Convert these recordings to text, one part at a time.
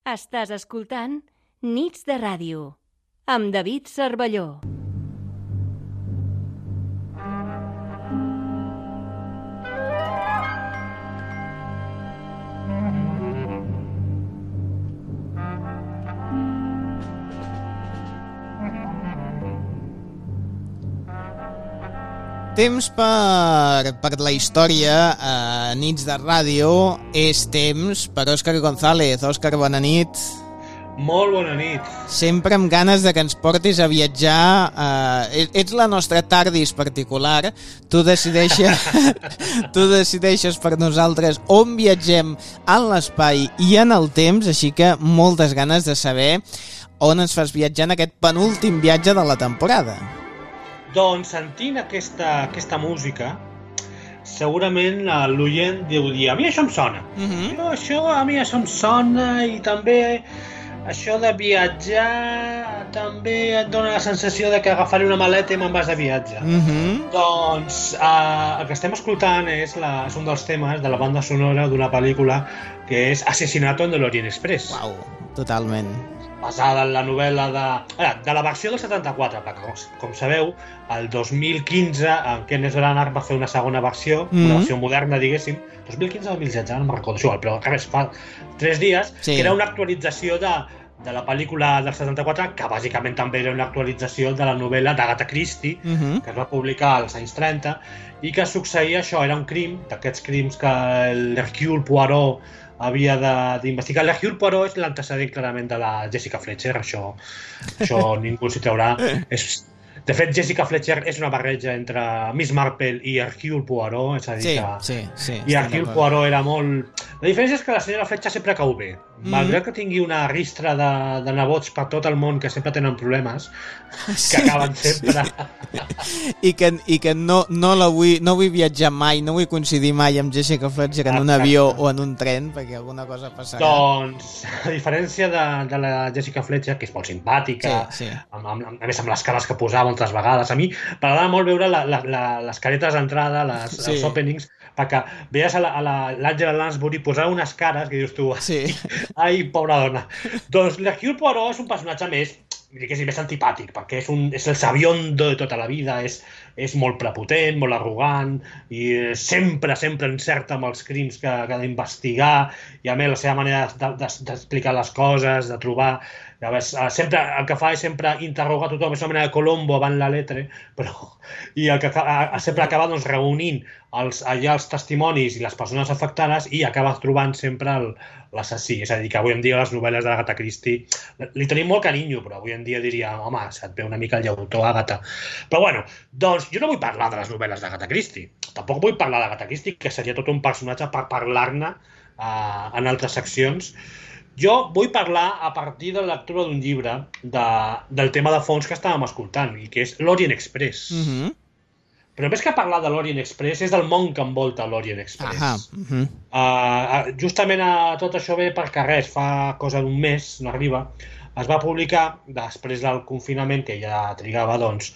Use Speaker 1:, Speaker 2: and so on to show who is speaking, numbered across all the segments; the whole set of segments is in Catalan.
Speaker 1: Estàs escoltant Nits de Ràdio, amb David Cervelló.
Speaker 2: Temps per la història a Nits de Ràdio és temps per Òscar González. Òscar, bona nit.
Speaker 3: Molt bona nit.
Speaker 2: Sempre amb ganes de que ens portis a viatjar. Ets la nostra TARDIS particular. Tu decideixes per nosaltres on viatgem en l'espai i en el temps, així que moltes ganes de saber on ens fas viatjar en aquest penúltim viatge de la temporada.
Speaker 3: Doncs sentint aquesta música, segurament l'oient deu dir, a mi això em sona. A mi això em sona i també això de viatjar també et dona la sensació de que agafaré una maleta i me'n vas de viatge. Doncs el que estem escoltant és un dels temes de la banda sonora d'una pel·lícula que és Asesinato en l'Orient Express.
Speaker 2: Uau, totalment.
Speaker 3: Basada en la novel·la de la versió del 74, perquè com sabeu, el 2015 en Kenneth Branagh va fer una segona versió, una versió moderna, diguéssim, 2015 o 2016, no me'n recordo, igual, però res, fa 3 dies, sí. Que era una actualització de la pel·lícula del 74, que bàsicament també era una actualització de la novel·la d'Agatha Christie, que es va publicar als anys 30, i que succeïa això, era un crim, d'aquests crims que l'Hercule Poirot havia d'investigar. L'Hercule Poirot és l'antecedent clarament de la Jessica Fletcher, això ningú s'hi traurà. De fet, Jessica Fletcher és una barreja entre Miss Marple i Hercule Poirot, és a dir
Speaker 2: sí,
Speaker 3: i Hercule Poirot era molt... La diferència és que la senyora Fletcher sempre cau bé. Malgrat que tingui una ristra de nebots per tot el món que sempre tenen problemes, que acaben sempre...
Speaker 2: I que no vull viatjar mai, no vull coincidir mai amb Jessica Fletcher en un avió o en un tren, perquè alguna cosa passarà.
Speaker 3: Doncs, a diferència de la Jessica Fletcher, que és molt simpàtica, a més amb les cares que posava moltes vegades, a mi m'agrada molt veure les caretes d'entrada, els openings, perquè veies a l'Angela Lansbury posar unes cares que dius tu, ai, pobra dona. Doncs l'Hercule Poirot és un personatge més antipàtic, perquè és el sabiondo de tota la vida, és molt prepotent, molt arrogant, i sempre encerta amb els crims que ha d'investigar, i a més la seva manera d'explicar les coses, de trobar... Sempre el que fa és sempre interrogar tothom, és una mena de Colombo avant la letre, i el que sempre acaba reunint allà els testimonis i les persones afectades i acaba trobant sempre l'assassí. És a dir, que avui en dia les novel·les d'Agatha Christie li tenim molt carinyo, però avui en dia diria, home, se't ve una mica el llautó, Agatha. Però bueno, doncs jo no vull parlar de les novel·les d'Agatha Christie. Tampoc vull parlar d'Agatha Christie, que seria tot un personatge per parlar-ne en altres seccions. Jo vull parlar a partir de la lectura d'un llibre del tema de fons que estàvem escoltant, i que és l'Orient Express. Però més que parlar de l'Orient Express, és del món que envolta l'Orient Express. Justament tot això ve perquè fa cosa d'un mes, no arriba, es va publicar, després del confinament, que ja trigava, doncs,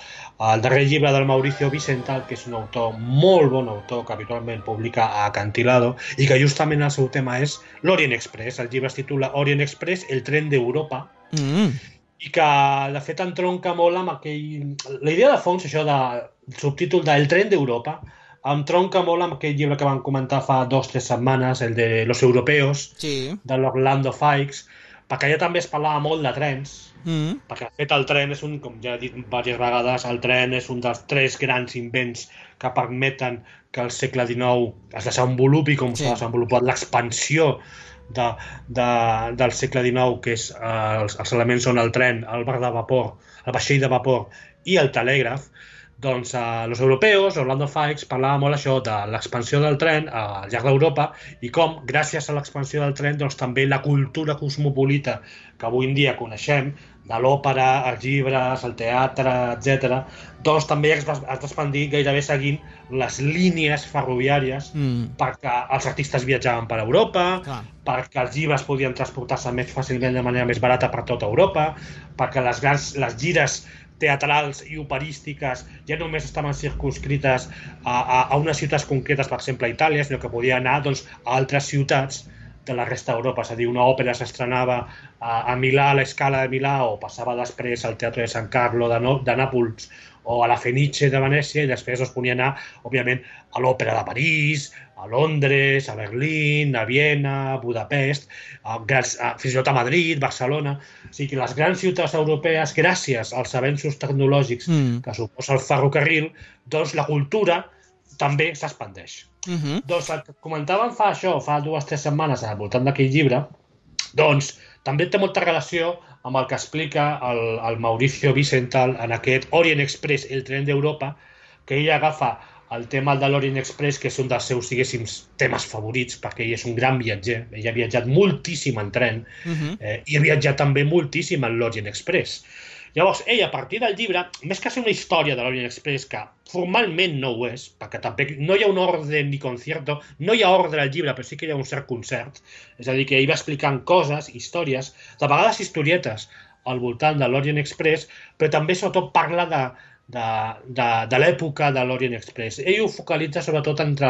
Speaker 3: el darrer llibre del Mauricio Vicental, que és un autor, molt bon autor, que habitualment publica a Acantilado, i que justament el seu tema és l'Orient Express. El llibre es titula Orient Express, el tren d'Europa, i que, de fet, entronca molt amb aquell... La idea de fons, això del subtítol del tren d'Europa, entronca molt amb aquell llibre que vam comentar fa 2 o 3 setmanes, el de Los Europeos, de l'Orlando Fikes, perquè allà també es parlava molt de trens, perquè de fet el tren és com ja he dit diverses vegades, el tren és un dels 3 grans invents que permeten que el segle XIX es desenvolupi com s'ha desenvolupat l'expansió del segle XIX, que és els elements són el tren, el bar de vapor, el vaixell de vapor i el telègraf. Doncs Los Europeos, Orlando Fikes, parlava molt això de l'expansió del tren al llarg d'Europa i com, gràcies a l'expansió del tren, doncs també la cultura cosmopolita que avui en dia coneixem, de l'òpera, els llibres, el teatre, etc., doncs també es va expandir gairebé seguint les línies ferroviàries perquè els artistes viatjaven per Europa, perquè els llibres podien transportar-se més fàcilment de manera més barata per tota Europa, perquè les gires teatrals i operístiques ja només estaven circunscrites a unes ciutats concretes, per exemple a Itàlia, sinó que podia anar a altres ciutats de la resta d'Europa, és a dir, una òpera s'estrenava a Milà, a la Scala de Milà, o passava després al Teatre de San Carlo de Nàpols, o a la Fenice de Venècia, i després es ponia a anar, òbviament, a l'òpera de París, a Londres, a Berlín, a Viena, a Budapest, fins i tot a Madrid, Barcelona. O sigui que les grans ciutats europees, gràcies als avenços tecnològics que suposa el ferrocarril, doncs la cultura també s'expandeix. Doncs el que comentàvem fa 2 o 3 setmanes al voltant d'aquell llibre, doncs també té molta relació amb el que explica el Mauricio Wiesenthal en aquest Orient Express, el tren d'Europa, que ell agafa el tema de l'Orient Express, que és un dels seus, diguéssim, temes favorits, perquè ell és un gran viatger. Ell ha viatjat moltíssim en tren i ha viatjat també moltíssim en l'Orient Express. Llavors, ell, a partir del llibre, més que ser una història de l'Orient Express, que formalment no ho és, perquè també no hi ha un ordre ni concierto, no hi ha ordre al llibre, però sí que hi ha un cert concert, és a dir, que ell va explicant coses, històries, de vegades historietes al voltant de l'Orient Express, però també sobretot parla de l'època de l'Orient Express. Ell ho focalitza sobretot entre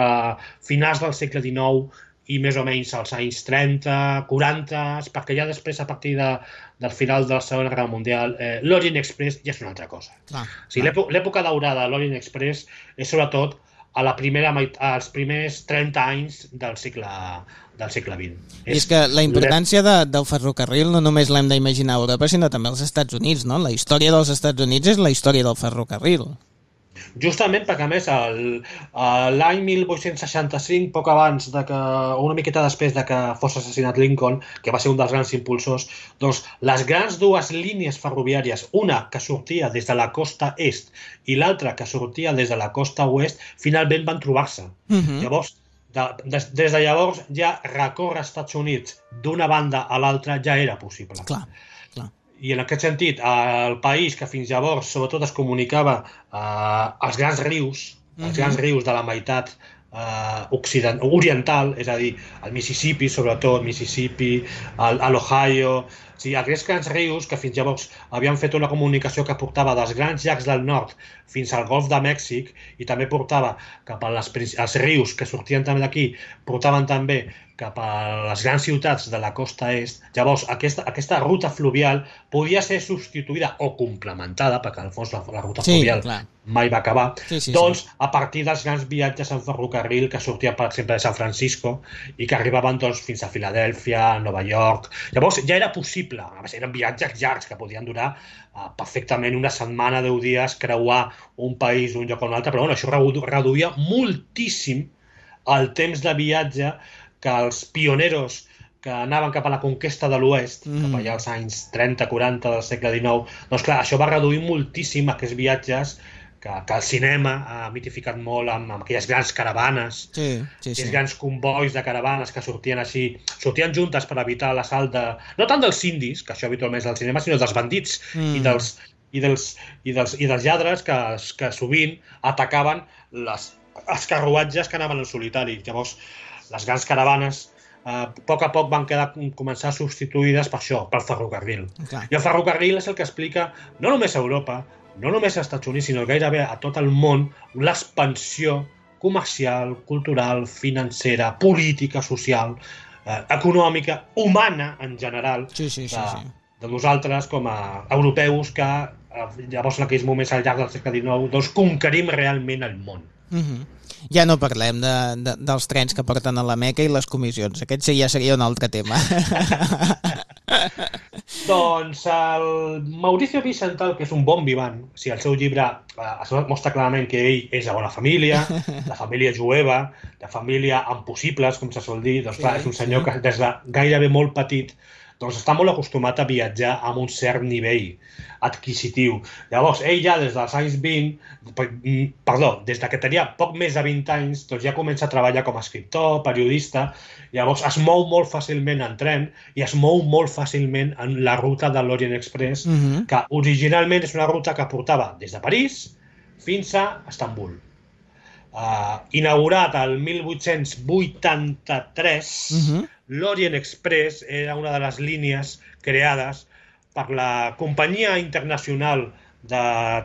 Speaker 3: finals del segle XIX i més o menys als anys 30, 40, perquè ja després, a partir del final de la Segona Guerra Mundial, l'Orient Express ja és una altra cosa. L'època daurada de l'Orient Express és sobretot als primers 30 anys del segle XX.
Speaker 2: I és que la importància del ferrocarril no només l'hem d'imaginar a Europa, sinó també als Estats Units, no? La història dels Estats Units és la història del ferrocarril.
Speaker 3: Justament perquè, a més, l'any 1865, poc abans, una miqueta després de que fos assassinat Lincoln, que va ser un dels grans impulsors, doncs les grans 2 línies ferroviàries, una que sortia des de la costa est i l'altra que sortia des de la costa oest, finalment van trobar-se. Llavors, des de llavors ja recórrer als Estats Units d'una banda a l'altra ja era possible.
Speaker 2: Clar.
Speaker 3: I en aquest sentit, el país que fins llavors sobretot es comunicava als grans rius, de la meitat oriental, és a dir, el Mississippi, sobretot, l'Ohio, o sigui, aquests grans rius que fins llavors havien fet una comunicació que portava dels grans llacs del nord fins al Golf de Mèxic i també portava cap als rius que sortien també d'aquí, portaven també cap a les grans ciutats de la costa est. Llavors, aquesta ruta fluvial podia ser substituïda o complementada, perquè al fons la ruta fluvial mai va acabar, doncs a partir dels grans viatges en ferrocarril que sortien, per exemple, de San Francisco i que arribaven fins a Filadèlfia, Nova York. Llavors ja era possible, eren viatges llargs que podien durar perfectament una setmana, 10 dies, creuar un país d'un lloc a un altre, però això reduïa moltíssim el temps de viatge que els pioneros que anaven cap a la conquesta de l'oest, cap allà als anys 30-40 del segle XIX, doncs clar, això va reduir moltíssim aquests viatges que el cinema ha mitificat molt amb aquelles grans caravanes, aquells grans combois de caravanes que sortien juntes per evitar l'assalt no tant dels indis, que això habitualment és del cinema, sinó dels bandits i dels lladres que sovint atacaven els carruatges que anaven en solitari. Llavors, les grans caravanes a poc van començar substituïdes per això, pel ferrocarril. I el ferrocarril és el que explica no només a Europa, no només als Estats Units, sinó gairebé a tot el món, l'expansió comercial, cultural, financera, política, social, econòmica, humana en general, de nosaltres com a europeus que llavors en aquells moments al llarg del segle XIX doncs conquerim realment el món.
Speaker 2: Ja no parlem dels trens que porten a la Meca i les comissions. Aquest ja seria un altre tema.
Speaker 3: Doncs el Mauricio Wiesenthal, que és un bon vivant, o sigui, el seu llibre es mostra clarament que ell és de bona família, de família jueva, de família amb possibles, com se sol dir, doncs clar, és un senyor que des de gairebé molt petit doncs està molt acostumat a viatjar amb un cert nivell adquisitiu. Llavors, ell ja des dels anys 20, des que tenia poc més de 20 anys, doncs ja comença a treballar com a escriptor, periodista, llavors es mou molt fàcilment en tren i es mou molt fàcilment en la ruta de l'Orient Express, que originalment és una ruta que portava des de París fins a Estambul. Inaugurat el 1883, l'Orient Express era una de les línies creades per la Companyia Internacional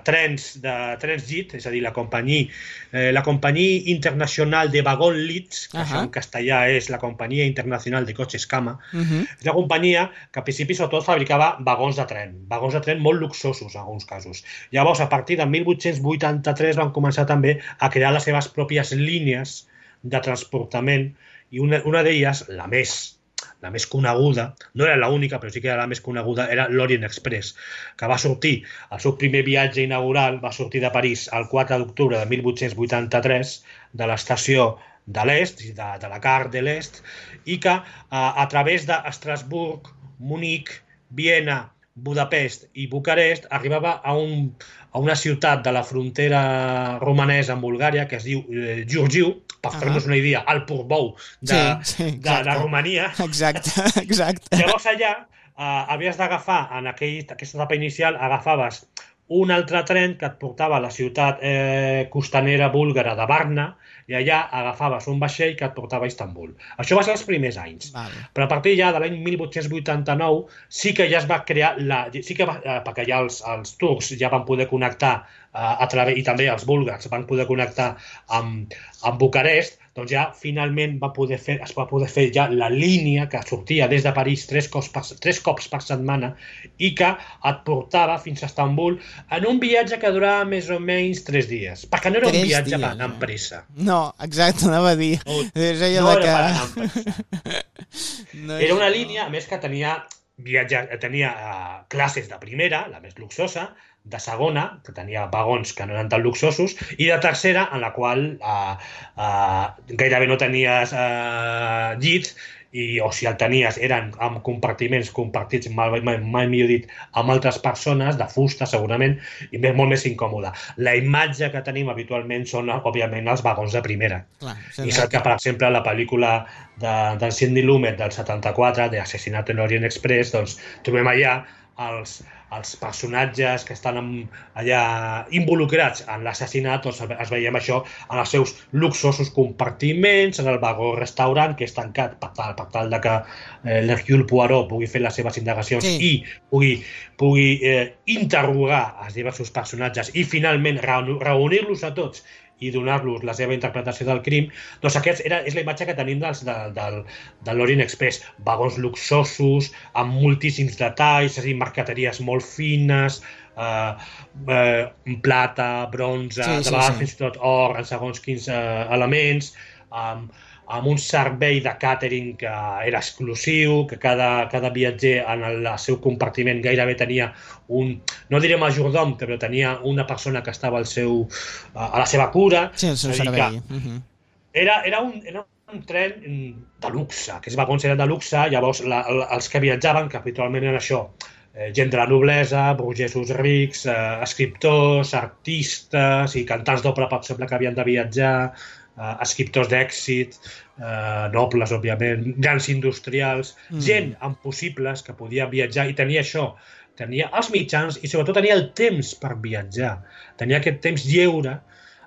Speaker 3: trens JIT, és a dir, la Companyia Internacional de Vagón Leeds, que això en castellà és la Companyia Internacional de Cotxes Cama. És una companyia que al principi sobretot fabricava vagons de tren molt luxosos en alguns casos. Llavors, a partir de 1883 van començar també a crear les seves pròpies línies de transportament i una d'elles, la més coneguda, no era l'única, però sí que era la més coneguda, era l'Orient Express, que va sortir, el seu primer viatge inaugural va sortir de París el 4 d'octubre de 1883 de l'estació de l'Est, de la Gare de l'Est, i que a través d'Estrasburg, Munic, Viena, Budapest i Bucarest arribava a una ciutat de la frontera romanesa amb Bulgària que es diu Giurgiu, per fer-nos una idea, el Portbou de Romania.
Speaker 2: Exacte.
Speaker 3: Llavors allà havies d'agafar, en aquesta etapa inicial, agafaves un altre tren que et portava a la ciutat costanera búlgara de Varna i allà agafaves un vaixell que et portava a Istanbul. Això va ser els primers anys. Però a partir ja de l'any 1889 sí que ja es va crear, perquè ja els turcs ja van poder connectar i també els búlgars van poder connectar amb Bucarest, doncs ja finalment es va poder fer ja la línia que sortia des de París tres cops per setmana i que et portava fins a Istanbul en un viatge que durava més o menys 3 dies, perquè no era un viatge per anar amb pressa.
Speaker 2: No, exacte, anava a dir.
Speaker 3: No era per anar amb pressa. Era una línia, a més, que tenia classes de primera, la més luxosa, de segona, que tenia vagons que no eren tan luxosos, i de tercera, en la qual gairebé no tenies llits, o si el tenies eren amb compartiments compartits, mai millor dit, amb altres persones, de fusta segurament, i molt més incòmode. La imatge que tenim habitualment són, òbviament, els vagons de primera. I és el que, per exemple, a la pel·lícula d'en Sidney Lumet del 74, d'Assassinat en l'Orient Express, doncs trobem allà els personatges que estan allà involucrats en l'assassinat, doncs es veiem això en els seus luxosos compartiments, en el vagó restaurant que és tancat per tal que l'Hercule Poirot pugui fer les seves indagacions i pugui interrogar els diversos personatges i finalment reunir-los a tots i donar-los la seva interpretació del crim, doncs aquesta és la imatge que tenim de l'Orient Express. Vagons luxosos, amb moltíssims detalls, és a dir, marqueteries molt fines, plata, bronze, de vegades fins i tot or, en segons quins elements, amb un servei de càtering que era exclusiu, que cada viatger en el seu compartiment gairebé tenia no diré majordom, però tenia una persona que estava a la seva cura.
Speaker 2: Sí, el seu servei.
Speaker 3: Era un tren de luxe, aquests vagons eren de luxe, llavors els que viatjaven, que habitualment eren això, gent de la noblesa, burgesos rics, escriptors, artistes i cantants d'òpera, per exemple, que havien de viatjar, escriptors d'èxit, nobles, òbviament, grans industrials, gent amb possibles que podia viatjar i tenia això, tenia els mitjans i sobretot tenia el temps per viatjar, tenia aquest temps lleure,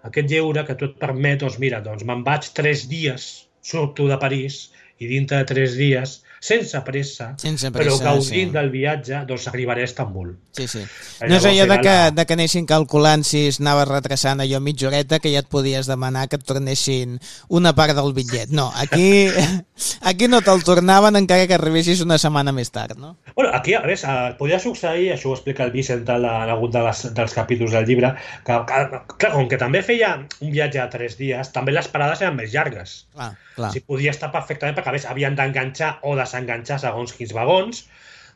Speaker 3: aquest lleure que tu et permet, doncs mira, me'n vaig 3 dies, surto de París i dintre de 3 dies, sense pressa, però gaudint del viatge, doncs arribaré a Istanbul.
Speaker 2: Sí. No és allò de que anessin calculant si es anava retrasant allò mitja horeta que ja et podies demanar que et tornessin una part del bitllet. No, aquí no te'l tornaven encara que arribessis una setmana més tard, no?
Speaker 3: Bueno, aquí, a més, podia succeir, això ho explica el Vicent en algun dels capítols del llibre, que, clar, com que també feia un viatge de 3 dies, també les parades eren més llargues.
Speaker 2: Clar.
Speaker 3: Si podia estar perfectament, perquè a més havien d'enganxar o desenganxar segons quins vagons.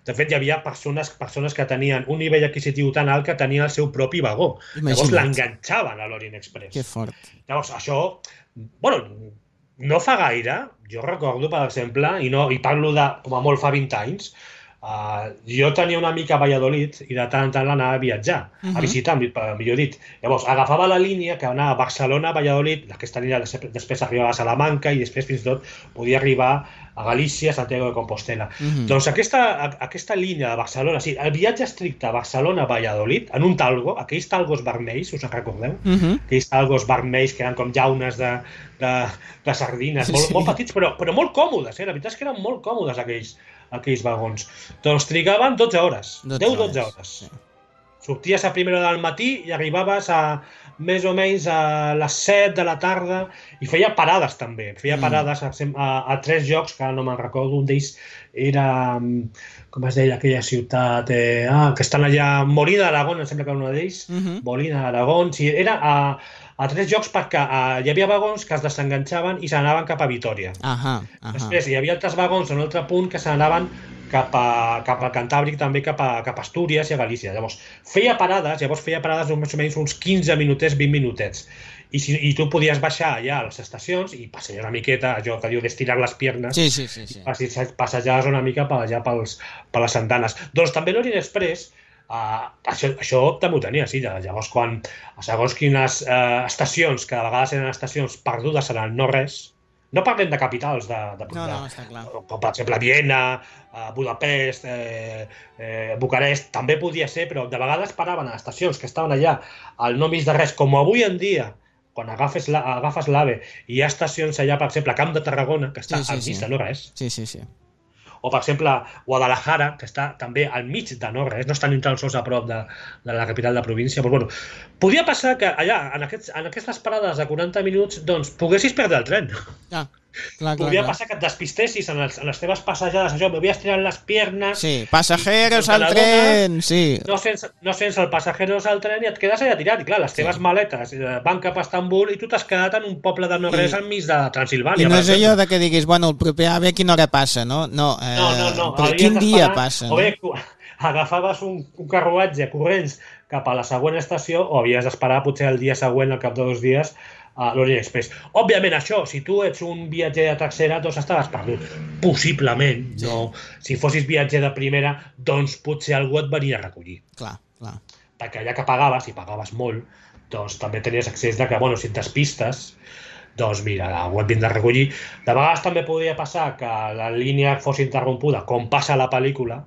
Speaker 3: De fet, hi havia persones que tenien un nivell adquisitiu tan alt que tenien el seu propi vagó. Llavors l'enganxaven a l'Orient Express.
Speaker 2: Que fort.
Speaker 3: Llavors, això, bueno, no fa gaire, jo recordo, per exemple, i parlo de, com a molt fa 20 anys, jo tenia una mica a Valladolid i de tant en tant l'anava a viatjar, a visitar, millor dit. Llavors, agafava la línia que anava a Barcelona, a Valladolid, aquesta línia després arribava a Salamanca i després fins i tot podia arribar a Galícia, a Santiago de Compostela. Doncs aquesta línia de Barcelona, sí, el viatge estricte a Barcelona-Valladolid, en un talgo, aquells talgos vermells, us en recordeu? Aquells talgos vermells que eren com llaunes de sardines, molt petits, però molt còmodes, la veritat és que eren molt còmodes aquells vagons. Doncs trigaven 12 hores, 10-12 hores. Sorties a primera hora del matí i arribaves a més o menys a les 7 de la tarda i feia parades també. Feia parades a 3 llocs, que no me'n recordo. Un d'ells era, com es deia, aquella ciutat que estan allà, Molina d'Aragón, em sembla que era un d'ells. Molina d'Aragón, sí, era a 3 llocs perquè hi havia vagons que es desenganxaven i s'anaven cap a Vitoria. Després hi havia altres vagons en un altre punt que s'anaven cap al Cantàbric, també cap a Astúries i a Galícia. Llavors, feia parades més o menys uns 15 minutets, 20 minutets. I tu podies baixar allà a les estacions i passejar una miqueta, allò que diu d'estirar les piernes,
Speaker 2: sí.
Speaker 3: passejar una mica per allà per les andanes. Doncs també l'Orient Express, això també ho tenia, sí. Llavors, quan segons quines estacions, que de vegades eren estacions perdudes en el no-res, no parlem de capitals
Speaker 2: no, està clar.
Speaker 3: Com per exemple Viena, Budapest, Bucarest, també podia ser, però de vegades paraven a estacions que estaven allà al no mig de res, com avui en dia, quan agafes l'AVE, i hi ha estacions allà, per exemple, a Camp de Tarragona, que està al mig de no res.
Speaker 2: Sí.
Speaker 3: O, per exemple, Guadalajara, que està també al mig de no res, no està ni tan sols a prop de la capital de la província. Però, bueno, podia passar que allà, en aquestes parades de 40 minuts, doncs, poguessis perdre el tren. Podia passar que et despistessis en les teves passejades, això, me voy a estirar les piernas...
Speaker 2: Sí, pasajeros al tren, sí.
Speaker 3: No sents el pasajeros al tren i et quedes allà tirat. I clar, les teves maletes van cap a Estambul i tu t'has quedat en un poble de no-res enmig de Transilvània.
Speaker 2: I no és allò de que diguis, bueno, el proper AVE a quina hora passa, no? No. Però quin dia passa?
Speaker 3: O bé, agafaves un carruatge corrents cap a la següent estació o havies d'esperar potser el dia següent, al cap de 2 dies, a l'Orient Express. Òbviament, això, si tu ets un viatger de tercera, doncs estaves perdut. Possiblement, no. Si fossis viatger de primera, doncs potser algú et venia a recollir.
Speaker 2: Clar.
Speaker 3: Perquè allà que pagaves, i pagaves molt, doncs també tenies accés de que, bueno, si et despistes, doncs mira, algú et vindrà a recollir. De vegades també podria passar que la línia fos interrompuda, com passa a la pel·lícula,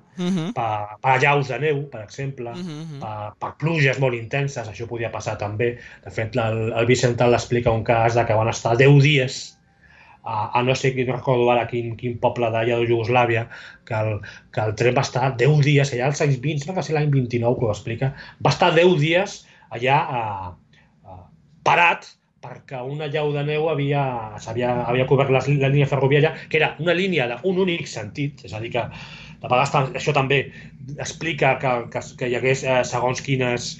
Speaker 3: per allaus de neu, per exemple, per pluges molt intenses, això podia passar també. De fet, el Vicental explica un cas de que van estar 10 dies a no sé quin, recordo ara quin poble d'allà de Iugoslàvia, que el tren va estar 10 dies allà als anys 20, no va ser l'any 29 que ho explica, va estar 10 dies allà parat, perquè una llau de neu havia cobert la línia ferroviària, que era una línia d'un únic sentit, és a dir que de vegades això també explica que hi hagués segons quins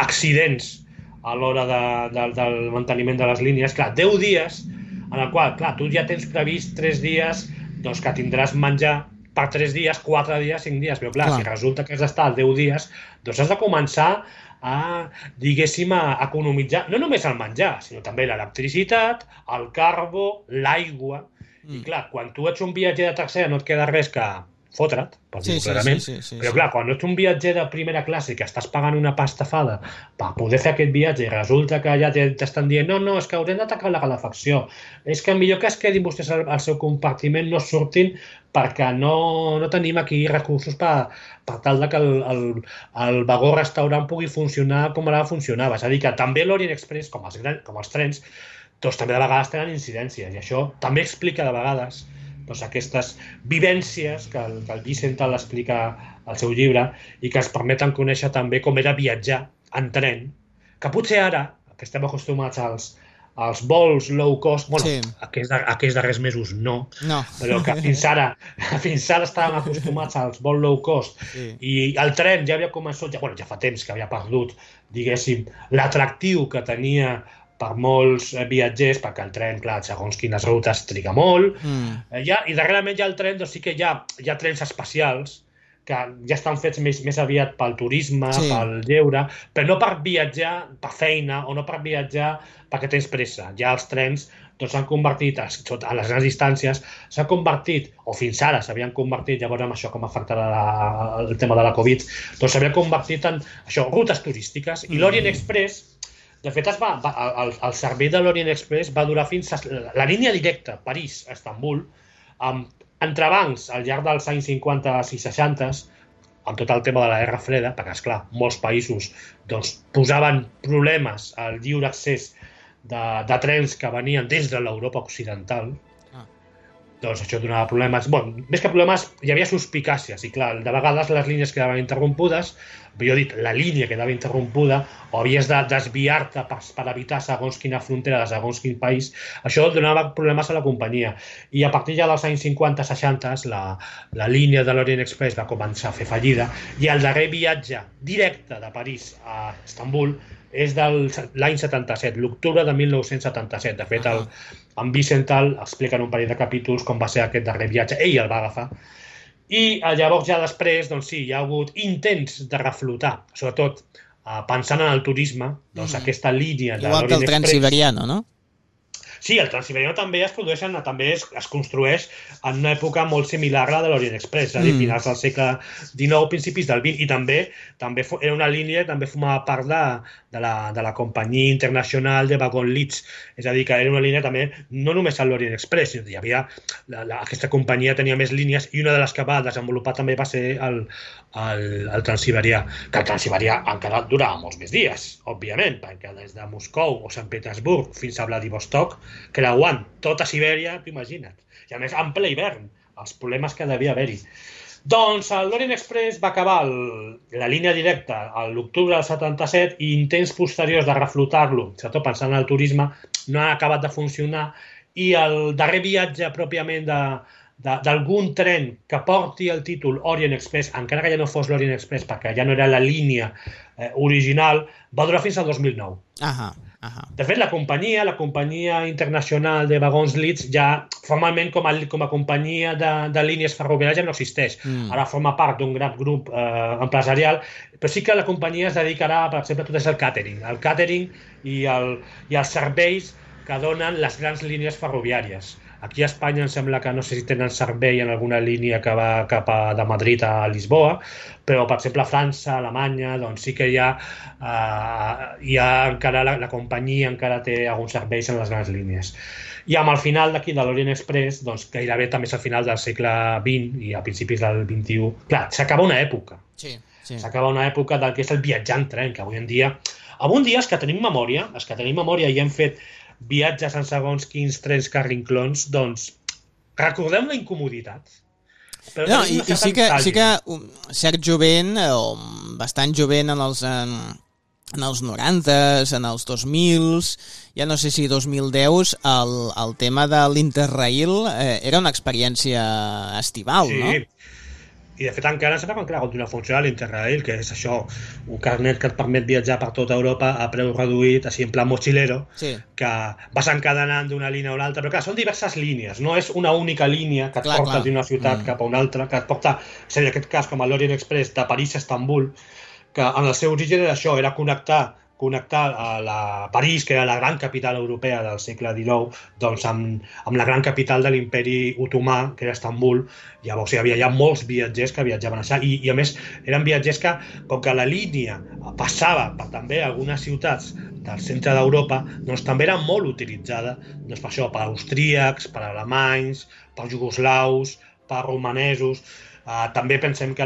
Speaker 3: accidents a l'hora del manteniment de les línies. Clar, 10 dies en el qual, clar, tu ja tens previst 3 dies doncs que tindràs menjar per 3 dies, 4 dies, 5 dies, però clar, si resulta que has d'estar 10 dies, doncs has de començar diguéssim, a economitzar no només el menjar, sinó també l'electricitat, el carbo, l'aigua. I clar, quan tu ets un viatger de tercera no et queda res que fotre't, per dir-ho clarament, però clar, quan ets un viatger de primera classe que estàs pagant una pastafada per poder fer aquest viatge i resulta que ja t'estan dient no, és que haurem de tancar la calefacció, és que millor que es quedin vostès al seu compartiment, no surtin perquè no tenim aquí recursos per tal que el vagó restaurant pugui funcionar com ara funcionava. És a dir, que també l'Orient Express, com els trens, doncs també de vegades tenen incidències, i això també explica de vegades aquestes vivències que el Vicental explica al seu llibre i que ens permeten conèixer també com era viatjar en tren, que potser ara, que estem acostumats als vols low cost, bueno, aquests darrers mesos no, però que fins ara estàvem acostumats als vols low cost i el tren ja havia començat, ja fa temps que havia perdut, diguéssim, l'atractiu que tenia per molts viatgers, perquè el tren, clar, segons quines rutes triga molt, i darrerament ja el tren, doncs sí que hi ha trens especials que ja estan fets més aviat pel turisme, pel lleure, però no per viatjar per feina o no per viatjar perquè tens pressa. Ja els trens s'han convertit, a les grans distàncies, s'han convertit, o fins ara s'havien convertit, llavors amb això com afectarà el tema de la Covid, doncs s'havien convertit en això, rutes turístiques, i l'Orient Express, de fet, el servei de l'Orient Express va durar fins a la línia directa París-Estambul, entrebancs al llarg dels anys 50 i 60, amb tot el tema de la Guerra Freda, perquè, esclar, molts països posaven problemes al lliure accés de trens que venien des de l'Europa occidental, doncs això donava problemes. Bueno, més que problemes, hi havia suspicàcies, i clar, de vegades les línies quedaven interrompudes, jo he dit, la línia quedava interrompuda, o havies de desviar-te per evitar segons quina frontera de segons quin país, això donava problemes a la companyia. I a partir ja dels anys 50-60, la línia de l'Orient Express va començar a fer fallida, i el darrer viatge directe de París a Istanbul és de l'any 77, l'octubre de 1977. De fet, en Wiesenthal explica en un parell de capítols com va ser aquest darrer viatge. Ell el va agafar. I llavors, ja després, doncs sí, hi ha hagut intents de reflotar, sobretot pensant en el turisme, doncs aquesta línia de l'Orient Express...
Speaker 2: Igual que el Transiberiano, no?
Speaker 3: Sí, el Transiberiano també es construeix en una època molt similar a la de l'Orient Express, és a dir, finals del segle XIX, principis del XX, i també era una línia que també formava part de la companyia internacional de Wagon Leeds, és a dir, que era una línia també, no només a l'Orient Express, hi havia, aquesta companyia tenia més línies, i una de les que va desenvolupar també va ser el Transiberià, que el Transiberià encara durava molts més dies, òbviament, perquè des de Moscou o Sant Petersburg fins a Vladivostok, creuant tota Sibèria, t'ho imagina't. I a més, en ple hivern, els problemes que devia haver-hi. Doncs l'Orient Express va acabar la línia directa a l'octubre del 77 i intents posteriors de reflotar-lo, sobretot pensant en el turisme, no han acabat de funcionar, i el darrer viatge pròpiament d'algun tren que porti el títol Orient Express, encara que ja no fos l'Orient Express, perquè ja no era la línia original, va durar fins al 2009. De fet, la companyia internacional de Wagons Leeds ja formalment com a companyia de línies ferroviàries ja no existeix. Ara forma part d'un gran grup empresarial, però sí que la companyia es dedicarà, per exemple, a tot és el catering i els serveis que donen les grans línies ferroviàries. Aquí a Espanya em sembla que no sé si tenen servei en alguna línia que va de Madrid a Lisboa, però, per exemple, a França, a Alemanya, doncs sí que hi ha encara, la companyia encara té alguns serveis en les grans línies. I amb el final d'aquí de l'Orient Express, doncs gairebé també és el final del segle XX i a principis del XXI. Clar, s'acaba una època.
Speaker 2: Sí.
Speaker 3: S'acaba una època del que és el viatjar en tren, que avui en dia els que tenim memòria i hem fet viatges en segons quins trens carrinclons, doncs recordem la incomoditat.
Speaker 2: No, i sí que cert jovent, o bastant jovent en els 90s, en els 2000s, ja no sé si 2010, el tema de l'Interrail era una experiència estival, no?
Speaker 3: Sí. I de fet encara sembla que encara continua funcionant l'Interrail, que és això, un carnet que et permet viatjar per tota Europa a preu reduït, així en plan mochilero, que vas encadenant d'una línia a una altra, però clar, són diverses línies, no és una única línia que et porta d'una ciutat cap a una altra, que et porta, és a dir, en aquest cas, com a l'Orient Express, de París a Istanbul, que en el seu origen era això, era connectar a París, que era la gran capital europea del segle XIX, doncs amb la gran capital de l'imperi otomà, que era Istanbul. Llavors hi havia ja molts viatgers que viatjaven allà, i a més eren viatgers que, com que la línia passava per també algunes ciutats del centre d'Europa, doncs també era molt utilitzada per això, per austríacs, per alemanys, per jugoslaus, per romanesos. També pensem que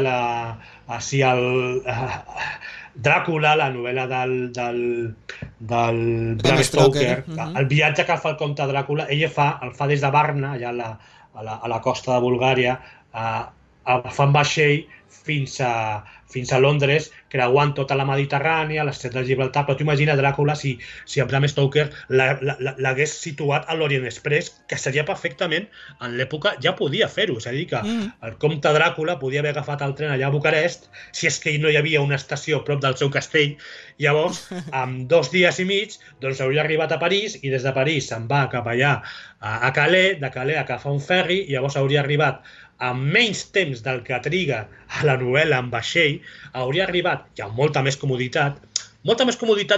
Speaker 3: Dràcula, la novel·la del Bram Stoker, el viatge que fa el comte Dràcula, ell el fa des de Varna, allà a la costa de Bulgària, fa en vaixell fins a Londres, creuant tota la Mediterrània, l'estret de Gibraltar, però t'imagina Dràcula si en Bram Stoker l'hagués situat a l'Orient Express, que seria perfectament, en l'època ja podia fer-ho, és a dir, que el comte Dràcula podia haver agafat el tren allà a Bucarest, si és que no hi havia una estació prop del seu castell, llavors, en 2 dies i mig, doncs hauria arribat a París, i des de París se'n va cap allà a Calais, de Calais a agafar un ferri, i llavors hauria arribat amb menys temps del que triga a la novel·la en vaixell, hauria arribat ja amb molta més comoditat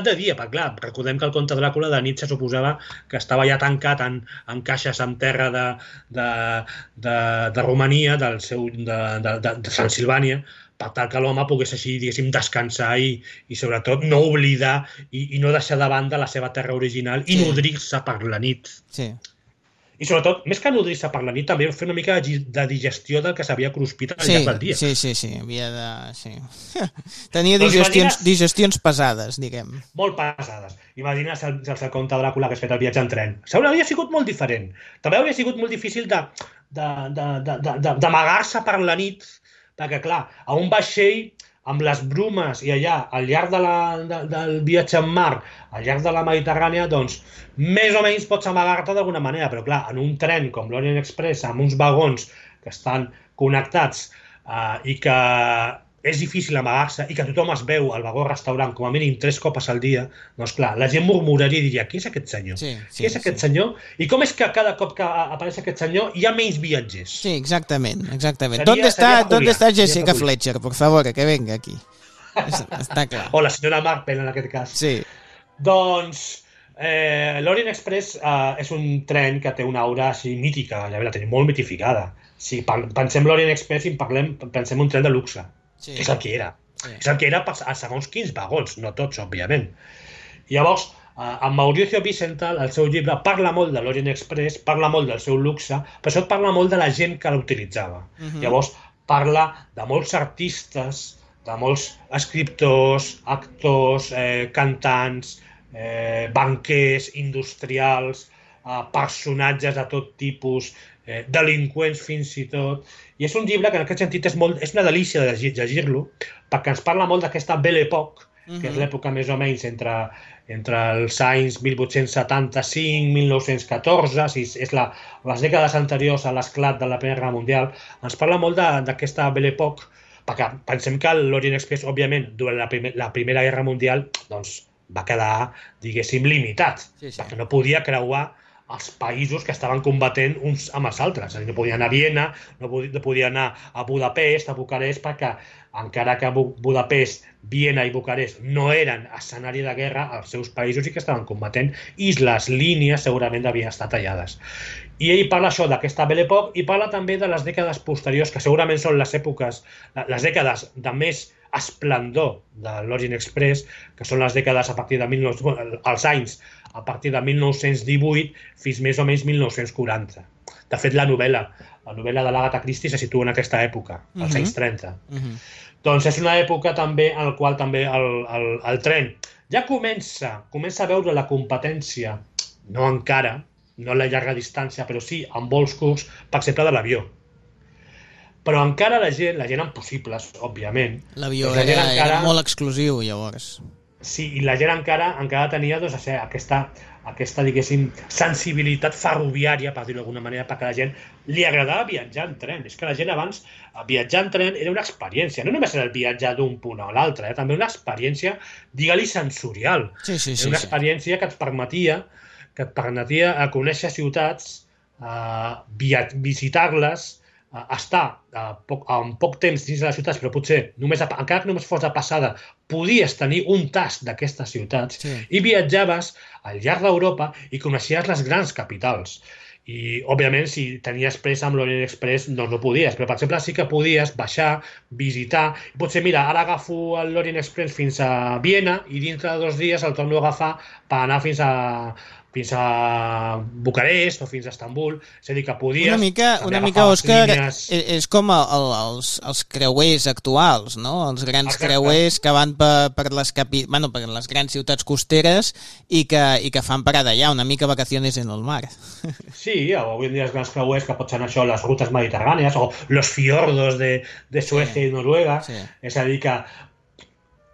Speaker 3: de dia, perquè clar, recordem que el comte Dràcula de nit se suposava que estava ja tancat en caixes en terra de Romania, de Transilvània, per tal que l'home pogués així, diguéssim, descansar i sobretot no oblidar i no deixar de banda la seva terra original i nodrir-se per la nit.
Speaker 2: Sí.
Speaker 3: I sobretot, més que nodrir-se per la nit, també fer una mica de digestió del que s'havia cruspit al llarg del dia.
Speaker 2: Sí, havia de... Sí. Tenia digestions pesades, diguem.
Speaker 3: Molt pesades. Imagina't el conte Dràcula que has fet el viatge en tren. Hauria sigut molt diferent. També hauria sigut molt difícil d'amagar-se per la nit, perquè, clar, a un vaixell amb les brumes i allà, al llarg del viatge en mar, al llarg de la Mediterrània, doncs, més o menys pots amagar-te d'alguna manera, però clar, en un tren com l'Orient Express, amb uns vagons que estan connectats i que és difícil amagar-se i que tothom es veu al vagó-restaurant com a mínim 3 copes al dia, doncs clar, la gent murmuraria i diria, qui és aquest senyor? Qui és aquest senyor? I com és que cada cop que apareix aquest senyor hi ha menys viatgers?
Speaker 2: Sí, exactament. ¿Dónde está Jessica Fletcher? Por favor, que venga aquí. Està clar.
Speaker 3: O la senyora Marple, en aquest cas.
Speaker 2: Sí.
Speaker 3: Doncs l'Orient Express és un tren que té una aura així mítica, ja la tenim molt mitificada. Si pensem l'Orient Express i pensem un tren de luxe. Sí. És el que era. Sí. És el que era a segons quins vagons, no tots, òbviament. Llavors, en Mauricio Wiesenthal, el seu llibre, parla molt de l'Orient Express, parla molt del seu luxe, però sobretot parla molt de la gent que l'utilitzava. Llavors, parla de molts artistes, de molts escriptors, actors, cantants, banquers, industrials, personatges de tot tipus, delinqüents fins i tot. I és un llibre que en aquest sentit és una delícia de llegir-lo, perquè ens parla molt d'aquesta Belle Époque, que és l'època més o menys entre els anys 1875-1914, és les dècades anteriors a l'esclat de la Primera Guerra Mundial. Ens parla molt d'aquesta Belle Époque, perquè pensem que l'Orient Express, òbviament, durant la Primera Guerra Mundial, doncs, va quedar, diguéssim, limitat, perquè no podia creuar els països que estaven combatent uns amb els altres. No podia anar a Viena, no podia anar a Budapest, a Bucarest, perquè encara que Budapest, Viena i Bucarest no eren escenari de guerra, els seus països sí que estaven combatent i les línies segurament havien estat tallades. I ell parla això d'aquesta Belle Époque i parla també de les dècades posteriors, que segurament són les dècades de més esplendor de l'Orient Express, que són les dècades a partir de els anys a partir de 1918 fins més o menys 1940. De fet, la novel·la de l'Agatha Christie se situa en aquesta època, als anys 30. Doncs és una època també en la qual també el tren ja comença a veure la competència, no encara, no a la llarga distància, però sí en vols curts, per exemple, de l'avió. Però encara la gent amb possibles, òbviament...
Speaker 2: L'avió era molt exclusiu, llavors.
Speaker 3: Sí, i la gent encara tenia doncs, aquesta, diguéssim, sensibilitat ferroviària, per dir-ho d'alguna manera, perquè a la gent li agradava viatjar en tren. És que la gent abans, viatjar en tren era una experiència. No només era el viatjar d'un punt a l'altre, també una experiència, digue-li, sensorial. Era una experiència que et permetia conèixer ciutats, visitar-les, estar en poc temps dins de les ciutats, però potser, encara que només fos de passada, podies tenir un tast d'aquestes ciutats i viatjaves al llarg d'Europa i coneixies les grans capitals. I, òbviament, si tenies pressa amb l'Orient Express, doncs no podies, però, per exemple, sí que podies baixar, visitar, i potser, mira, ara agafo l'Orient Express fins a Viena i dintre de 2 dies el torno a agafar per anar fins a Bucarest o fins a Estambul. És a dir, que podies...
Speaker 2: Una mica, Òscar, és com els creuers actuals, no? Els grans creuers que van per les grans ciutats costeres i que fan parada allà, una mica vacaciones en el mar.
Speaker 3: Sí, avui en dia els grans creuers que pot ser això, les rutes mediterrànies o los fiordos de Suècia i Noruega. És a dir, que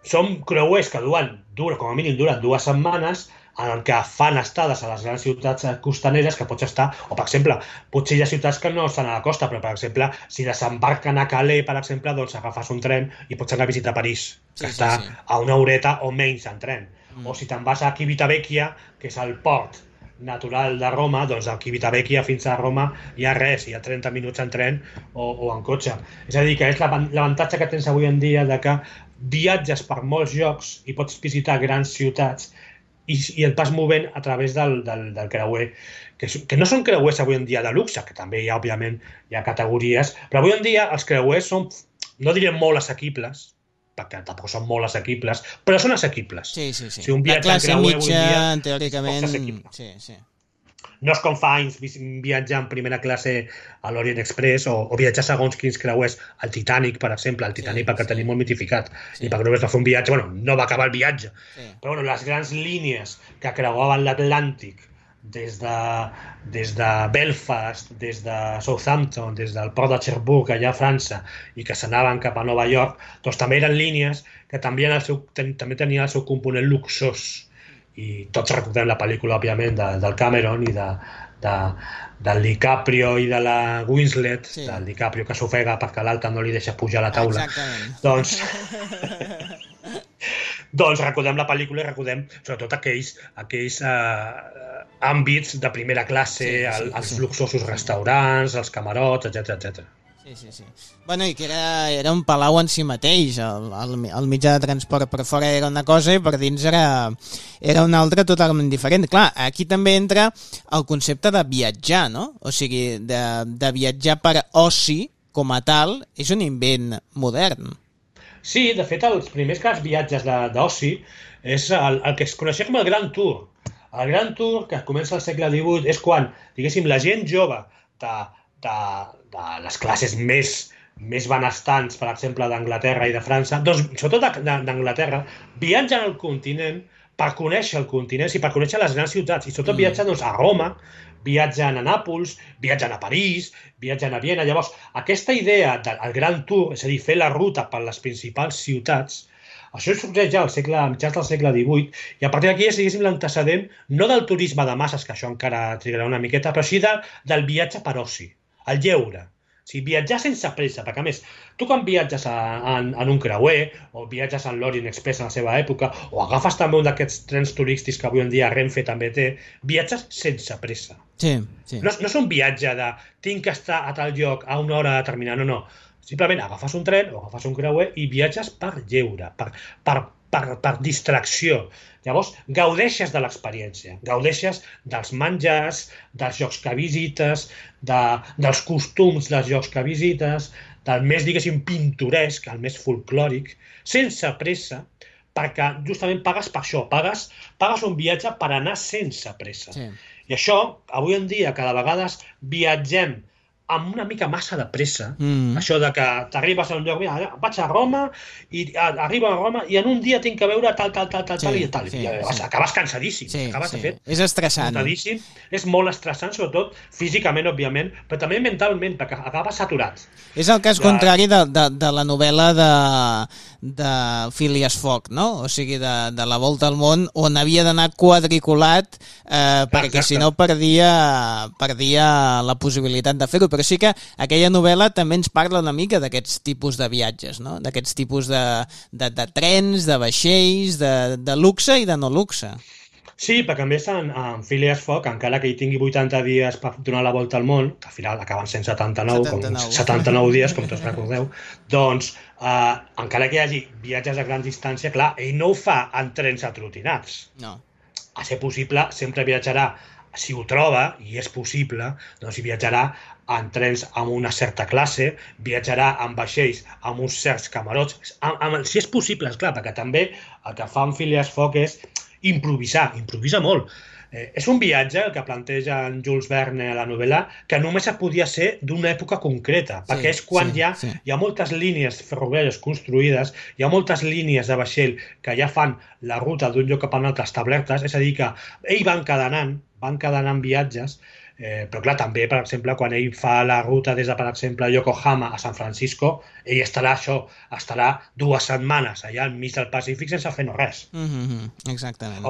Speaker 3: són creuers que com a mínim duren 2 setmanes, en què fan estades a les grans ciutats costaneres que pots estar, o per exemple, potser hi ha ciutats que no estan a la costa, però per exemple, si desembarquen a Calais, per exemple, doncs agafes un tren i pots anar a visitar París, que està a 1 horeta o menys en tren. O si te'n vas a Civitavecchia, que és el port natural de Roma, doncs a Civitavecchia fins a Roma hi ha res, hi ha 30 minuts en tren o en cotxe. És a dir, que és l'avantatge que tens avui en dia de que viatges per molts llocs i pots visitar grans ciutats i et vas movent a través del creuer, que no són creuers avui en dia de luxe, que també hi ha, òbviament, hi ha categories, però avui en dia els creuers són, no direm molt assequibles, perquè tampoc són molt assequibles, però són assequibles.
Speaker 2: Sí.
Speaker 3: Si un viatge en creuer avui en dia,
Speaker 2: teòricament, sí.
Speaker 3: No és com fa anys viatjar en primera classe a l'Orient Express o viatjar segons quins creuers al Titanic, per exemple. El Titanic perquè el tenim molt mitificat i perquè només va fer un viatge, bueno, no va acabar el viatge, però bueno, les grans línies que creuaven l'Atlàntic des de Belfast, des de Southampton, des del port de Cherbourg, allà a França, i que s'anaven cap a Nova York, doncs també eren línies que també tenien el seu component luxós. I tots recordem la pel·lícula, òbviament, del Cameron i del DiCaprio i de la Winslet, del DiCaprio que s'ofega perquè l'altre no li deixa pujar a la taula.
Speaker 2: Exactament.
Speaker 3: Doncs recordem la pel·lícula i recordem sobretot aquells àmbits de primera classe, els luxosos restaurants, els camarots, etc.
Speaker 2: Sí. Bueno, i que era un palau en si mateix, el mitjà de transport per fora era una cosa i per dins era una altra totalment diferent. Clar, aquí també entra el concepte de viatjar, no? O sigui, de viatjar per oci com a tal és un invent modern.
Speaker 3: Sí, de fet, els primers viatges d'oci és el que es coneixia com el Grand Tour. El Grand Tour, que comença al segle XVIII, és quan, diguéssim, la gent jove de les classes més benestants, per exemple, d'Anglaterra i de França, doncs, sobretot d'Anglaterra, viatgen al continent per conèixer el continent i per conèixer les grans ciutats. I sobretot viatgen a Roma, viatgen a Nàpols, viatgen a París, viatgen a Viena. Llavors, aquesta idea del Grand Tour, és a dir, fer la ruta per les principals ciutats, això sorgeix ja a mitjans del segle XVIII, i a partir d'aquí és, diguéssim, l'antecedent no del turisme de masses, que això encara trigarà una miqueta, però sí del viatge per oci, el lleure. O sigui, viatjar sense pressa, perquè a més, tu quan viatges en un creuer, o viatges en l'Orient Express en la seva època, o agafes també un d'aquests trens turístics que avui en dia Renfe també té, viatges sense pressa.
Speaker 2: Sí.
Speaker 3: No és un viatge de tinc que estar a tal lloc a una hora determinada, no. Simplement agafes un tren o agafes un creuer i viatges per lleure, per distracció. Llavors, gaudeixes de l'experiència, gaudeixes dels menjars, dels llocs que visites, dels costums dels llocs que visites, del més, diguéssim, pintoresc, el més folclòric, sense pressa, perquè justament pagues per això, pagues un viatge per anar sense pressa.
Speaker 2: Sí.
Speaker 3: I això, avui en dia, cada vegada viatgem amb una mica massa de pressa, això de que t'arribes a un lloc, mira, vaig a Roma, i arribo a Roma, i en un dia tinc que veure tal, i tal. I acabes cansadíssim. De fet,
Speaker 2: és estressant.
Speaker 3: Cansadíssim. És molt estressant, sobretot físicament, òbviament, però també mentalment, perquè acabes saturat.
Speaker 2: És el cas contrari de la novel·la de Phileas Fogg, no? O sigui, de La volta al món, on havia d'anar quadriculat perquè si no perdia la possibilitat de fer-ho. Però sí que aquella novel·la també ens parla una mica d'aquests tipus de viatges, no? D'aquests tipus de trens, de vaixells, de luxe i de no luxe.
Speaker 3: Sí, perquè a més en Phileas Fogg, encara que hi tingui 80 dies per donar la volta al món, que al final acaben sent 79 dies, com tots recordeu, doncs encara que hi hagi viatges a gran distància, clar, ell no ho fa en trens atrotinats.
Speaker 2: No.
Speaker 3: A ser possible, sempre viatjarà, si ho troba, i és possible, doncs viatjarà en trens amb una certa classe, viatjarà en vaixells amb uns certs camarots, si és possible, esclar, perquè també el que fa en Phileas Fogg és improvisa molt. És un viatge, el que planteja en Jules Verne a la novel·la, que només podia ser d'una època concreta, perquè és quan hi ha moltes línies ferroviàries construïdes, hi ha moltes línies de vaixell que ja fan la ruta d'un lloc cap a un altre establertes, és a dir, que ell van cadenant viatges, però clar, també, per exemple, quan ell fa la ruta des de, per exemple, Yokohama a San Francisco, ell estarà 2 setmanes allà al mig del Pacífic sense fer no res.
Speaker 2: Exactament.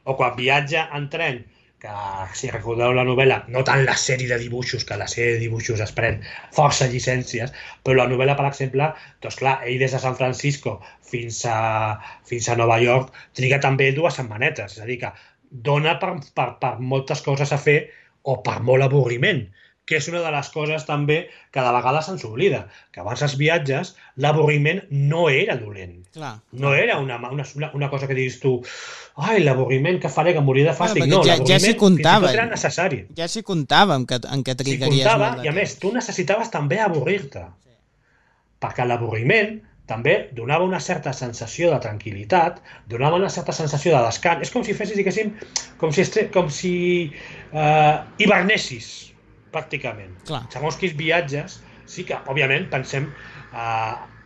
Speaker 3: O quan viatja en tren, que si recordeu la novel·la, no tant la sèrie de dibuixos, que la sèrie de dibuixos es pren força llicències, però la novel·la, per exemple, doncs clar, ell des de San Francisco fins a Nova York triga també 2 setmanetes, és a dir, que dona per moltes coses a fer o per molt avorriment, que és una de les coses també que de vegades se'ns oblida, que abans dels viatges l'avorriment no era dolent. No era una cosa que diguis tu, ai, l'avorriment que faré, que moriré de fàstic. No, l'avorriment fins i tot era necessari.
Speaker 2: Ja s'hi comptava en què trigaries molt de temps.
Speaker 3: I a més, tu necessitaves també avorrir-te, perquè l'avorriment també donava una certa sensació de tranquil·litat, donava una certa sensació de descans. És com si fessis, diguéssim, com si hibernessis, pràcticament.
Speaker 2: Clar.
Speaker 3: Segons quins viatges, sí que, òbviament, pensem,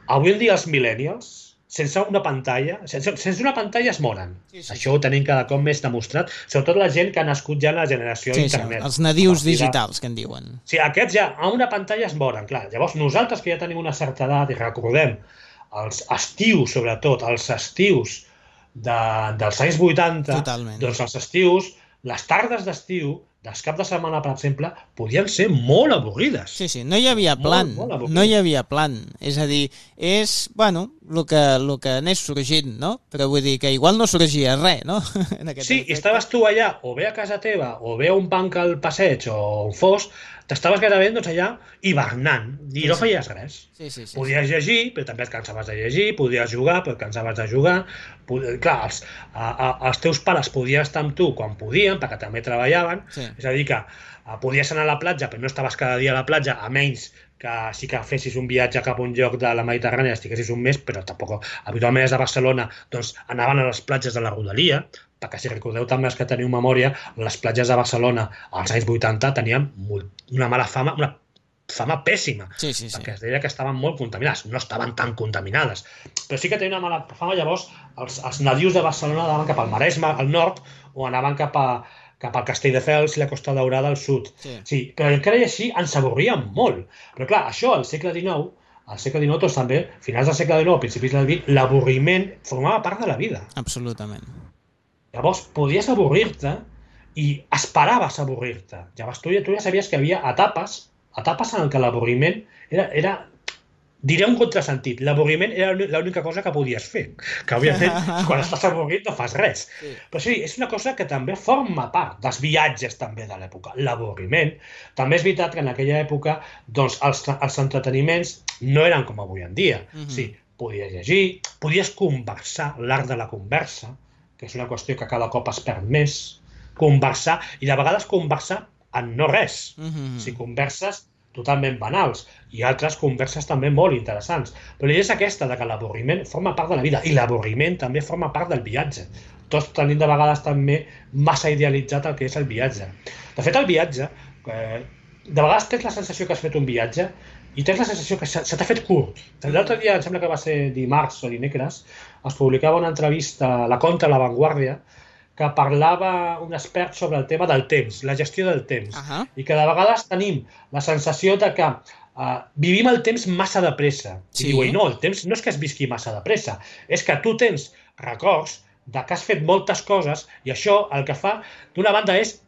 Speaker 3: avui en dia els millennials, sense una pantalla es moren. Sí. Això ho tenim cada cop més demostrat, sobretot la gent que ha nascut ja en la generació internet.
Speaker 2: Sí, els nadius digitals, que en diuen.
Speaker 3: Sí, aquests ja a una pantalla es moren, clar. Llavors nosaltres que ja tenim una certa edat i recordem els estius, sobretot, els estius dels anys 80,
Speaker 2: Totalment.
Speaker 3: Doncs els estius, les tardes d'estiu, dels caps de setmana, per exemple, podien ser molt avorrides.
Speaker 2: Sí, no hi havia plan, no hi havia plan. És a dir, és, bueno, el que anés sorgint, no? Però vull dir que igual no sorgia res, no?
Speaker 3: Sí, i estaves tu allà, o bé a casa teva, o bé a un banc al passeig, o on fos, t'estaves gairebé allà hivernant, i no feies res.
Speaker 2: Sí.
Speaker 3: Podies llegir, però també et cansaves de llegir, podies jugar, però et cansaves de jugar. Clar, els teus pares podien estar amb tu quan podien, perquè també treballaven, és a dir que podies anar a la platja, però no estaves cada dia a la platja, a menys que sí que fessis un viatge cap a un lloc de la Mediterrània, estiguessis un mes, però tampoc, habitualment des de Barcelona, doncs anaven a les platges de la Rodalia, perquè si recordeu també els que teniu memòria, les platges de Barcelona als anys 80 tenien una mala fama, una fama pèssima, perquè es deia que estaven molt contaminades, no estaven tan contaminades, però sí que tenien una mala fama. Llavors els nadius de Barcelona anaven cap al Maresme, al nord, o anaven cap al Castelldefels i la Costa Daurada al sud. Sí, però encara i així ens avorríem molt. Però clar, això al segle XIX, doncs també, finals del segle XIX, principis del XX, l'avorriment formava part de la vida.
Speaker 2: Absolutament.
Speaker 3: Llavors, podies avorrir-te i esperaves avorrir-te. Llavors, tu ja sabies que hi havia etapes en què l'avorriment era diré un contrasentit. L'avorriment era l'única cosa que podies fer. Que, òbviament, quan estàs avorrit no fas res. Però sí, és una cosa que també forma part dels viatges també de l'època. L'avorriment. També és veritat que en aquella època doncs, els entreteniments no eren com avui en dia. Sí, podies llegir, podies conversar, l'art de la conversa, que és una qüestió que cada cop es perd més. Conversar, i de vegades conversar en no res. Si converses totalment banals, i altres converses també molt interessants. Però l'idea és aquesta, de que l'avorriment forma part de la vida, i l'avorriment també forma part del viatge. Tots tenim de vegades també massa idealitzat el que és el viatge. De fet, el viatge, de vegades tens la sensació que has fet un viatge i tens la sensació que se t'ha fet curt. L'altre dia, em sembla que va ser dimarts o dimecres, es publicava una entrevista a la Contra, a La Vanguardia, que parlava un expert sobre el tema del temps, la gestió del temps, i que de vegades tenim la sensació de que vivim el temps massa de pressa. I diu, no, el temps no és que es visqui massa de pressa, és que tu tens records de que has fet moltes coses i això el que fa, d'una banda, és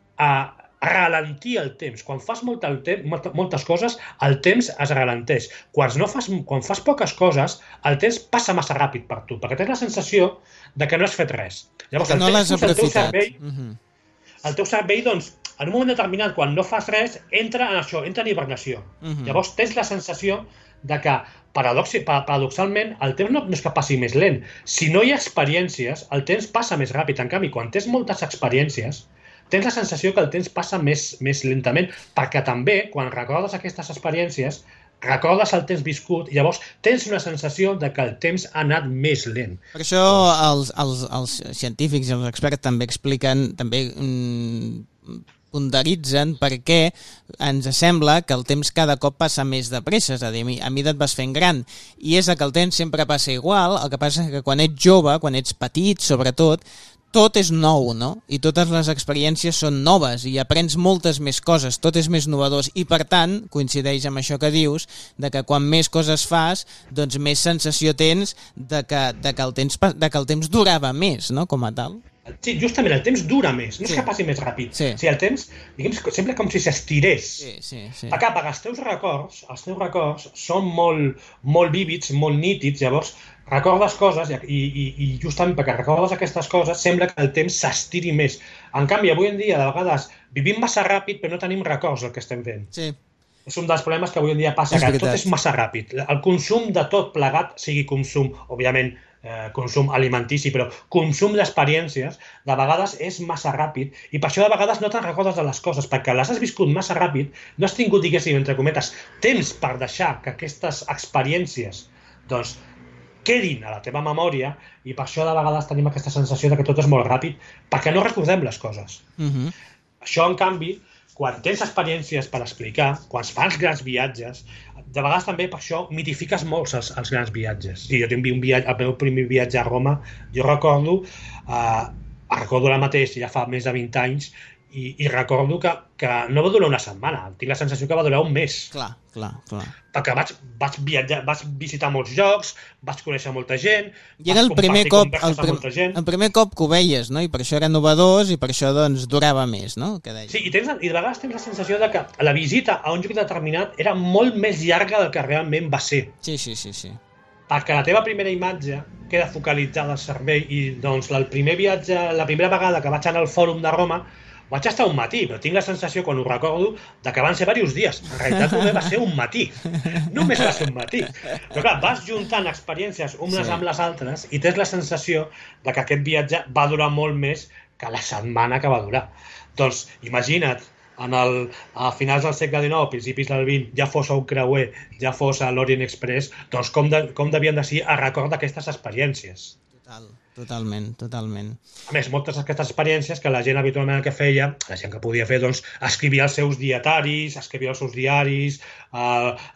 Speaker 3: ralentir el temps. Quan fas moltes coses, el temps es ralenteix. Quan fas poques coses, el temps passa massa ràpid per tu, perquè tens la sensació de que no has fet res. Llavors,
Speaker 2: que no l'has aprofitat.
Speaker 3: El teu cervell, doncs, en un moment determinat, quan no fas res, entra en això, entra en hibernació. Llavors, tens la sensació de que, paradoxalment, el temps no és que passi més lent. Si no hi ha experiències, el temps passa més ràpid. En canvi, quan tens moltes experiències, tens la sensació que el temps passa més lentament, perquè també, quan recordes aquestes experiències, recordes el temps viscut i llavors tens una sensació de que el temps ha anat més lent.
Speaker 2: Per això els científics i els experts també expliquen, també ponderitzen per què ens sembla que el temps cada cop passa més de pressa, és a dir, a mesura et vas fent gran, i és que el temps sempre passa igual, el que passa és que quan ets jove, quan ets petit, sobretot, tot és nou, no? I totes les experiències són noves i aprens moltes més coses, tot és més innovador i per tant, coincideix amb això que dius, de que quan més coses fas, doncs més sensació tens de que el temps durava més, no? Com a tal.
Speaker 3: Sí, justament, el temps dura més, no és que passi més ràpid. O sigui, el temps, diguem, sembla com si s'estirés. Perquè els teus records són molt vívids, molt nítids, llavors recordes coses i justament perquè recordes aquestes coses sembla que el temps s'estiri més. En canvi, avui en dia, de vegades, vivim massa ràpid però no tenim records del que estem fent.
Speaker 2: Sí.
Speaker 3: És un dels problemes que avui en dia passa, que tot és massa ràpid. El consum de tot plegat, sigui consum, òbviament, consum alimentici, però consum d'experiències, de vegades és massa ràpid i per això de vegades no te'n recordes de les coses, perquè les has viscut massa ràpid, no has tingut, diguéssim, entre cometes, temps per deixar que aquestes experiències doncs quedin a la teva memòria, i per això de vegades tenim aquesta sensació de que tot és molt ràpid, perquè no recordem les coses. Això, en canvi, quan tens experiències per explicar, quan fas grans viatges, de vegades també per això mitifiques molt els grans viatges. Sí, jo tinc un viatge, el meu primer viatge a Roma, jo recordo ara mateix, ja fa més de 20 anys, i recordo que no va durar una setmana, tinc la sensació que va durar un mes.
Speaker 2: Clar.
Speaker 3: Perquè vaig viatjar, vaig visitar molts llocs, vaig conèixer molta gent,
Speaker 2: i era el primer cop que ho veies, no? I per això era novedós i per això doncs durava més, no?
Speaker 3: Sí, i de vegades tens la sensació de que la visita a un lloc determinat era molt més llarga del que realment va ser.
Speaker 2: Sí.
Speaker 3: Perquè la teva primera imatge queda focalitzada al cervell, i doncs el primer viatge, la primera vegada que vaig anar al Fòrum de Roma, vaig estar un matí, però tinc la sensació, quan ho recordo, que van ser diversos dies. En realitat només va ser un matí. Només va ser un matí. Però clar, vas juntant experiències unes amb les altres i tens la sensació que aquest viatge va durar molt més que la setmana que va durar. Doncs imagina't, a finals del segle XIX, principis del XX, ja fos a un creuer, ja fos a l'Orient Express, doncs com devien de ser a record d'aquestes experiències.
Speaker 2: Totalment.
Speaker 3: A més, moltes d'aquestes experiències que la gent habitualment el que feia, la gent que podia fer, doncs, escrivia els seus dietaris, escrivia els seus diaris,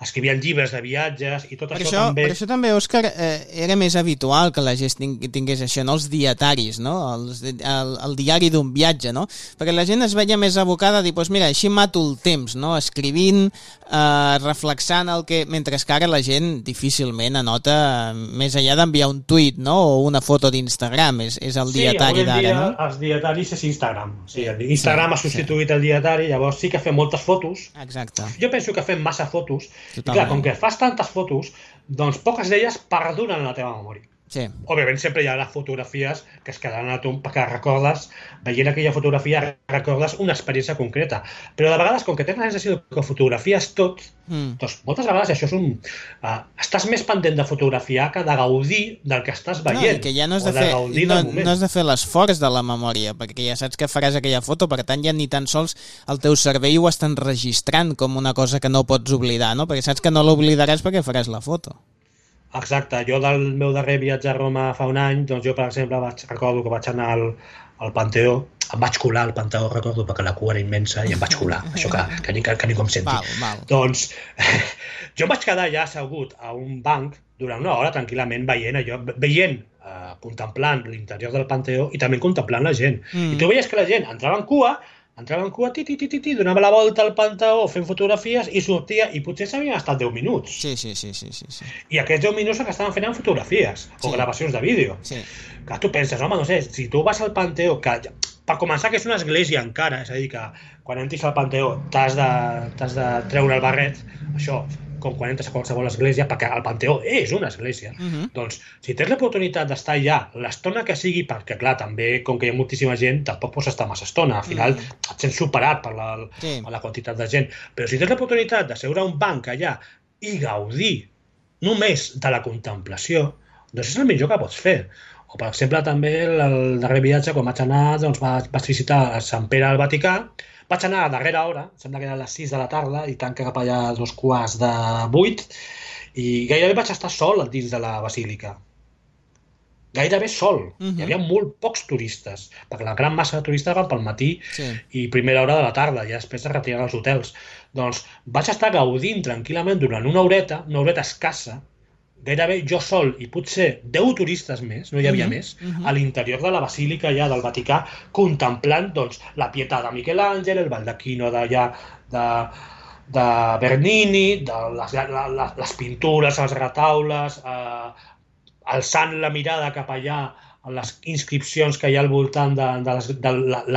Speaker 3: escrivien llibres de viatges, i tot això també...
Speaker 2: Per això també, Òscar, era més habitual que la gent tingués això, no? Els dietaris, no? El diari d'un viatge, no? Perquè la gent es veia més abocada a dir, doncs mira, així mato el temps, no? Escrivint, reflexant el que... Mentre que ara la gent difícilment anota, més enllà d'enviar un tuit, no? O una foto d'Instagram, és el dietari d'ara, no?
Speaker 3: Sí, els dietaris és Instagram. Sí, Instagram ha substituït el dietari, llavors sí que fem moltes fotos.
Speaker 2: Exacte.
Speaker 3: Jo penso que fem massa fotos, i clar, com que fas tantes fotos, doncs poques d'elles perduren en la teva memòria.
Speaker 2: Sí.
Speaker 3: Òbviament sempre hi ha les fotografies que es quedaran a tu, perquè recordes, veient aquella fotografia, recordes una experiència concreta. Però de vegades, com que tens la sensació que fotografies tot, doncs moltes vegades això és estàs més pendent de fotografiar que de gaudir del que estàs veient.
Speaker 2: No, i que ja no has de fer l'esforç de la memòria, perquè ja saps que faràs aquella foto, per tant ja ni tan sols el teu cervell ho està enregistrant com una cosa que no pots oblidar, no? Perquè saps que no l'oblidaràs perquè faràs la foto.
Speaker 3: Exacte, jo del meu darrer viatge a Roma fa un any, doncs jo, per exemple, recordo que vaig anar al Panteó, em vaig colar al Panteó, recordo, perquè la cua era immensa i em vaig colar, això que ningú em senti.
Speaker 2: Val.
Speaker 3: Doncs jo em vaig quedar ja assegut a un banc durant una hora tranquil·lament veient, contemplant l'interior del Panteó i també contemplant la gent. I tu veies que la gent entrava en cua, donava la volta al Panteó fent fotografies i sortia, i potser s'havien estat 10 minuts.
Speaker 2: Sí.
Speaker 3: I aquests 10 minuts que estaven fent fotografies o gravacions de vídeo.
Speaker 2: Sí.
Speaker 3: Que tu penses, home, no sé, si tu vas al Panteó, que per començar que és una església encara, és a dir, que quan entris al Panteó t'has de treure el barret, això, com quan entres a qualsevol església, perquè el Panteó és una església. Doncs, si tens l'oportunitat d'estar allà l'estona que sigui, perquè, clar, també, com que hi ha moltíssima gent, tampoc pots estar massa estona. Al final et sents superat per la quantitat de gent. Però si tens l'oportunitat de seure a un banc allà i gaudir només de la contemplació, doncs és el millor que pots fer. O, per exemple, també el darrer viatge, quan vaig anar, doncs vaig visitar Sant Pere al Vaticà. Vaig anar a darrera hora, sembla que era a les 6 de la tarda, i tanca cap allà a 7:15, i gairebé vaig estar sol dins de la basílica. Gairebé sol. Hi havia molt pocs turistes, perquè la gran massa de turistes van pel matí i primera hora de la tarda, i després es retiren als hotels. Doncs vaig estar gaudint tranquil·lament durant una horeta escassa, gairebé jo sol i potser 10 turistes més, no hi havia més, a l'interior de la basílica ja del Vaticà, contemplant doncs, la Pietà de Miquel Àngel, el Baldacchino de Bernini, les pintures, els retaules, alçant la mirada cap allà a les inscripcions que hi ha al voltant de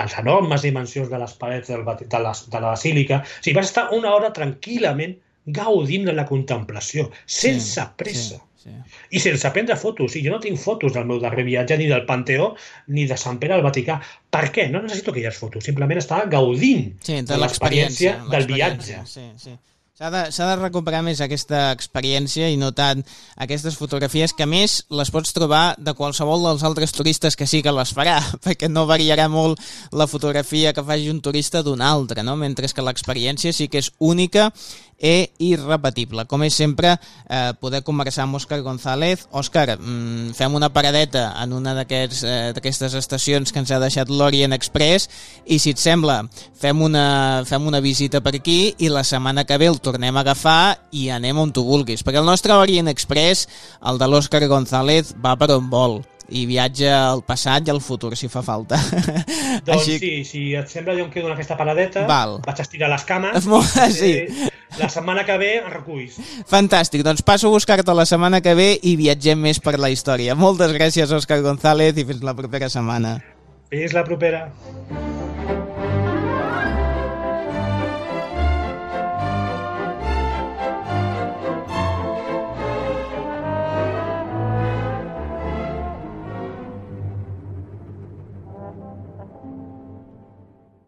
Speaker 3: les enormes dimensions de les parets de la basílica. O sigui, vas estar una hora tranquil·lament gaudint de la contemplació, sense pressa. I sense prendre fotos. Jo no tinc fotos del meu darrer viatge, ni del Panteó, ni de Sant Pere al Vaticà. Per què? No necessito aquelles fotos. Simplement estava gaudint de l'experiència del viatge.
Speaker 2: S'ha de recuperar més aquesta experiència i no tant aquestes fotografies, que a més les pots trobar de qualsevol dels altres turistes que sí que les farà, perquè no variarà molt la fotografia que faci un turista d'un altre, no? Mentre que l'experiència sí que és única i irrepetible. Com és sempre, poder conversar amb Òscar González. Òscar, fem una paradeta en una d'aquestes estacions que ens ha deixat l'Orient Express i, si et sembla, fem una visita per aquí i la setmana que ve el tornem a agafar i anem on tu vulguis, perquè el nostre Orient Express, el de l'Òscar González, va per on vol i viatja al passat i al futur, si fa falta.
Speaker 3: Doncs sí, si et sembla, jo em quedo en aquesta paradeta, vaig a estirar les cames,
Speaker 2: sí.
Speaker 3: La setmana que ve em reculls.
Speaker 2: Fantàstic, doncs passo a buscar-te la setmana que ve i viatgem més per la història. Moltes gràcies, Òscar González, i fins la propera setmana.
Speaker 3: Fins la propera.